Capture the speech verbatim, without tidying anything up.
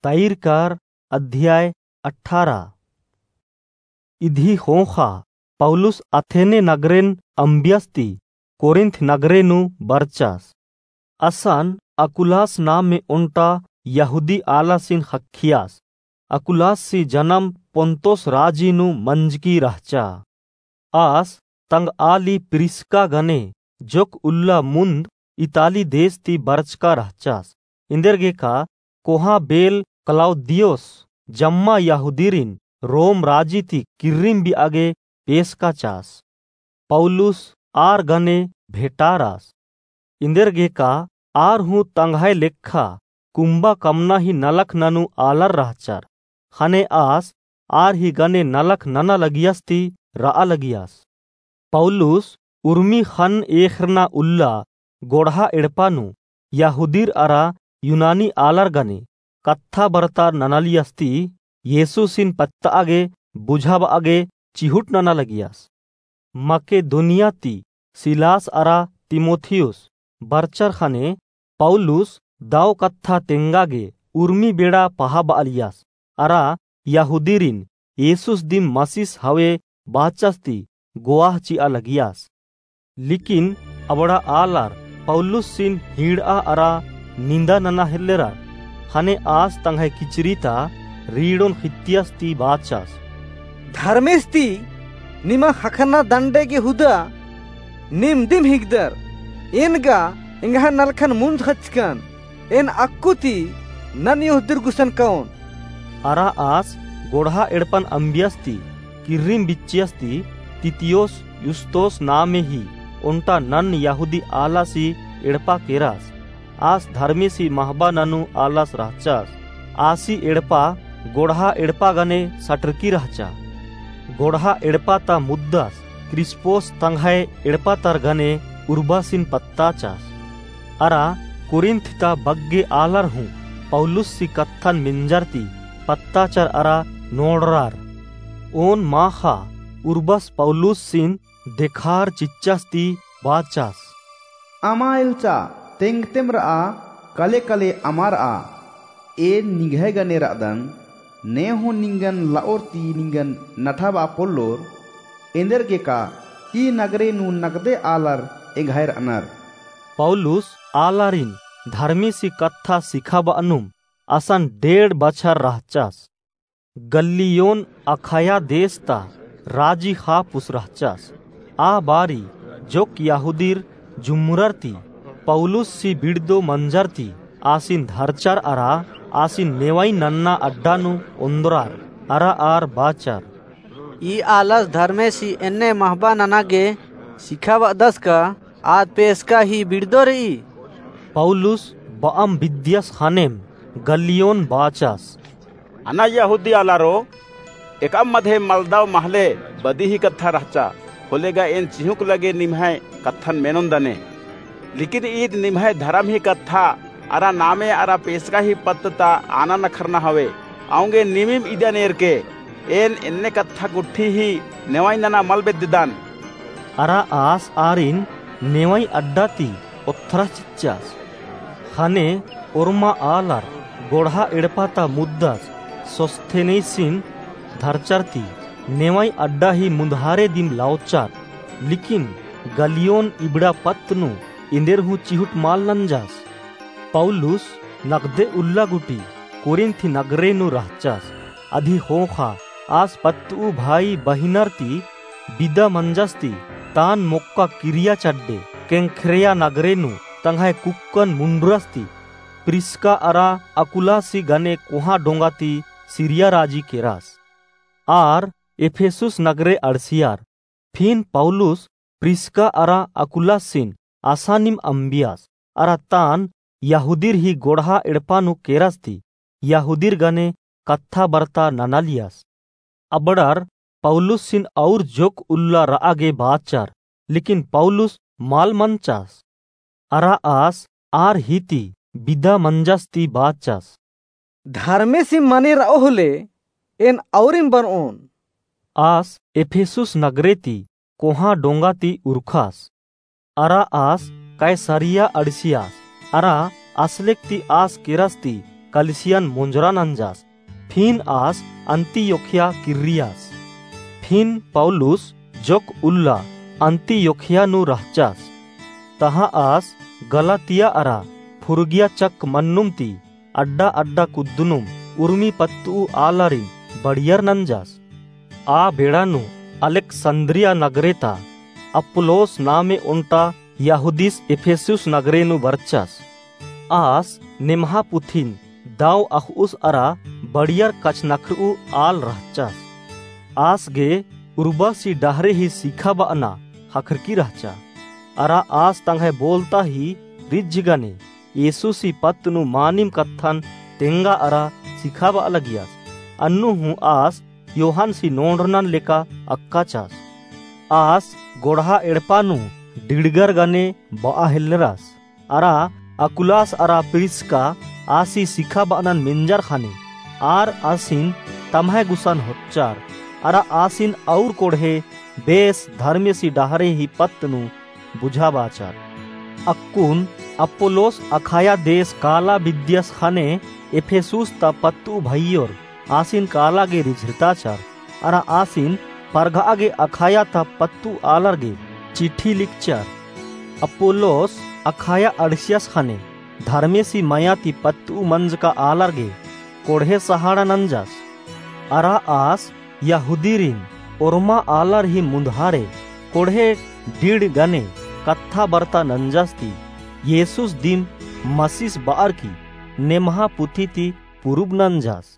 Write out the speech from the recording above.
तैरकार अध्याय अठारह। इदी ख़ोख़ा पौलुस अथेने नगरेन अम्बियस ती कोरिन्थ नगरे नू बरचस। असन अकुलास नामे ओन्टा यहूदी आलासिन ख़क्खियस। अकुलाससी जनम पोन्तोस राजी नू मंजकी रहचा। आस तंगआ ली प्रिस्का गने जोक उल्ला मुन्द इताली देश ती बरचका रहचस। एन्देरगेका कोहाँ बेल क्लौदियुस जम्मा यहूदिरिन रोम राजी ती किर्रिम बिआगे पेसका चास। पौलुस आर गने भेटारस। एन्देरगेका आर हूँ तंग्है लेखा कुम्बा कमना ही नलख ननू आलर रहचर। ख़ने आस आर ही गने नलख नना लगियस ती रआ लगियस। पौलुस उर्मी ख़न्न एख़रना उल्ला गोड़हा एड़पा नू यहूदिर अरा यूनानी आलर गने कत्था बरतार ननालियस ती येसुसिन पत्तआ गे बुझाबआ गे चिहुट नना लगियस। मकेदोनिया ती सिलास अरा तीमुथियुस बरचर ख़ने पौलुस दव कत्था तेंगा गे उर्मी बेड़ा पहाबआलियस अरा यहूदिरिन येसुस दिम मसीस हवे बाचस ती गोआह चिआ लगियस। लेकिन अबड़ा आलर पौलुसिन हीड़आ अरा निन्दा नना हेल्लेरर। ख़ने आस तंग्है किचरी ता रीड़ोन ख़ित्तियस ती बाचस। धर्मेस ती निमा ख़क्खरना दंडे गे हुदा नीम दिम हिकदर। एन गा एंग्है नलखन मुन्द ख़चकन। एन अक्कु ती नन यहूदिर गुसन कओन। अरा आस गोड़हा एड़पन अम्बियस ती किर्रिम बिच्चियस ती तीतियुस युस्तोस नामे ही ओन्टा नन यहूदी आलासी एड़पा केरस। आस धर्मेसी महबा ननू आलस रहचस। आसी एड़पा गोड़हा एड़पा गने सटरकी रहचा। गोड़हा एड़पा ता मुद्दस क्रिस्पोस तंग्है एड़पा तर गने उर्बासिन पत्ताचस। अरा कुरिन्थ ता बग्गे आलर हूँ पौलुससी कत्थन मेंजर ती पत्ताचर अरा नोड़रर। ओन माख़ा उर्बस पौलुससिन देखार चिच्चस ती बाचस। अमा एल्चा तेंगतेम रआ, कले कले अमा रआ। एन निंग्है गने रअदन, ने हूँ निंगन लओर ती निंगन नठाबआ पोल्लोर। एन्देरगेका ई नगरे नू नगदे आलर एंग्है रअनर। पौलुस आलारिन धर्मेसी कत्था सिखाबअनुम असन डेढ़ बछर रहचस। गल्लियोन अखाया देश ता राजी ख़ापुस रहचस। आ बारी जोक यहूदिर जुम्मरर ती पौलुससी बिड़दो मंजर ती आसिन धरचर अरा आसिन नेवई नन्ना अड्डा नू ओन्द्रर अरा आर बाचर। ई आलस धर्मेसी एन्ने महबा नना गे सिखाबअदस का? आद पेसका ही बिड़दो रई। पौलुस बअम बिद्दियस ख़नेम गल्लियोन बाचस। अना यहूदी आलारो, एकअम मधे मलदव महले बदी ही कत्था रहचा, होले गा एन चिहुँक लगे निम्है कत्थन मेनोन दने। लेकिन ईद निम्है धरम ही कत्था अरा नामे अरा पेसका ही पत्त ता आना नखरना हवे। औंगे निमिम इदन एरके, एन एन्ने कत्था गुट्ठी ही नेवई नना मल बेद्ददन। अरा आस आरिन नेवई अड्डा ती ओथ्रस चिच्चस। ख़ने ओर्मा आलर गोड़हा एड़पा ता मुद्दस सोस्थेनेसिन धरचर ती नेवई अड्डा ही मुन्धारे दिम लौचर। लेकिन गल्लियोन इबड़ा पत्त नू एन्देर हूँ चिहुट मल नंजस। पौलुस नगदे उल्ला गूटी कोरिन्थ नगरे नू रहचस। अदी ख़ोख़ा आस पत्तऊ भाई बहिनर ती बिदा मंजस ती तान मोक्का किरिया चड्डे केंख्रेया नगरे नू तंग्है कुक्कन मुंडरस ती प्रिस्का अरा अकुलासी गने कोहाँ डोंगा ती सीरिया राजी केरस। आर एफेसुस नगरे अंड़सियर। फिन पौलुस प्रिस्का अरा अकुलासिन असानिम अम्बियस अरा तान यहूदिर ही गोड़हा एड़पा नू केरस ती यहूदिर गने कत्था बरता ननालियस। अबड़र पौलुसिन और जोक उल्ला रआ गे बाचर, लेकिन पौलुस मल मंचस। अरा आस आर ही ती बिदा मंजस ती बाचस। धर्मेसिम मने रओ होले एन औरिम बनओन। आस एफेसुस नगरे ती कोहाँ डोंगा ती उरखस। अरा आस कैसरिया अंड़सियस। अरा असलेक ती आस केरस ती कलिसियन मोंजरा नंजस। फिन आस अंतियोखिया किर्रियस। फिन पौलुस जोक उल्ला अंतियोखिया नू रहचस। तहाँ आस गलातिया अरा फुरुगिया चक मन्नुम ती अड्डा अड्डा कुद्दनुम उर्मी पत्तुउ आलारिन बड़ियर नंजस। आ बेड़ा नू अलेक्संद्रिया नगरे ता अपुल्लोस नामे ओन्टा यहूदिस इफिसुस नगरे नू बरचस। आस नेम्हा पुथिन दव अख़उस अरा बड़ियर कछनखरऊ आल रहचस। आस गे उर्बासी डहरे ही सिखाबअना ख़क्खरकी रहचा। अरा आस तंग्है बोलता ही रिझ गने येसुसी पत्त नू मानिम कत्थन तेंगा अरा सिखाबआ लगियस। अन्नु हूँ आस योहानसी नोड़रनन लेका अक्काचस। आस गोड़हा एड़पा नू डिड़गर गने बआ हेल्लरस। अरा अकुलास अरा प्रिस्का आसी सिखाबअनन मेंजर ख़ने, आर आसिन तम्है गुसन होच्चर, अरा आसिन और कोड़हे बेस धर्मेसी डहरे ही पत्त नू बुझाबाचर। अक्कुन अपुल्लोस अखाया देस काला बिद्दियस ख़ने इफिसुस ता पत्तुउ भइयोर आसिन काला गे रिझरताचर, अरा आसिन परघआ गे अखाया ता पत्तुउ आलर गे चिट्ठी लिखचर। अपुल्लोस अखाया अंड़सियस ख़ने धर्मेसी मया ती पत्तुउ मंजका आलर गे कोड़हे सहाड़ा नंजस। अरा आस यहूदिरिन ओर्मा आलर ही मुन्धारे कोड़हे डिड़ गने कत्था बरता नंजस ती येसुस दिम मसिस बअर की नेम्हा पुथी ती पुरुब नंजस।